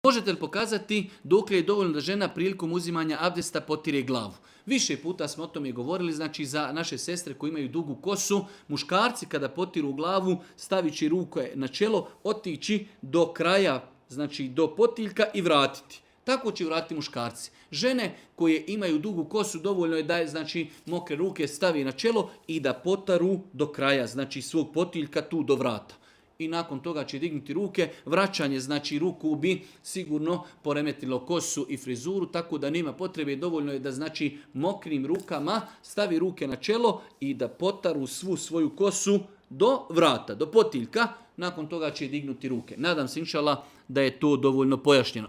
Možete li pokazati dokle je dovoljno da žena prilikom uzimanja abdesta potire glavu? Više puta smo o tome govorili, znači za naše sestre koji imaju dugu kosu, muškarci kada potiru glavu, stavići ruke na čelo, otići do kraja, znači do potiljka i vratiti. Tako će vratiti muškarci. Žene koje imaju dugu kosu, dovoljno je da je, znači, mokre ruke stavi na čelo i da potaru do kraja, znači svog potiljka tu do vrata. I nakon toga će dignuti ruke. Vraćanje, znači ruku bi sigurno poremetilo kosu i frizuru, tako da nema potrebe, dovoljno je da, znači, mokrim rukama stavi ruke na čelo i da potaru svu svoju kosu do vrata, do potiljka. Nakon toga će dignuti ruke. Nadam se, inšala, da je to dovoljno pojašnjeno.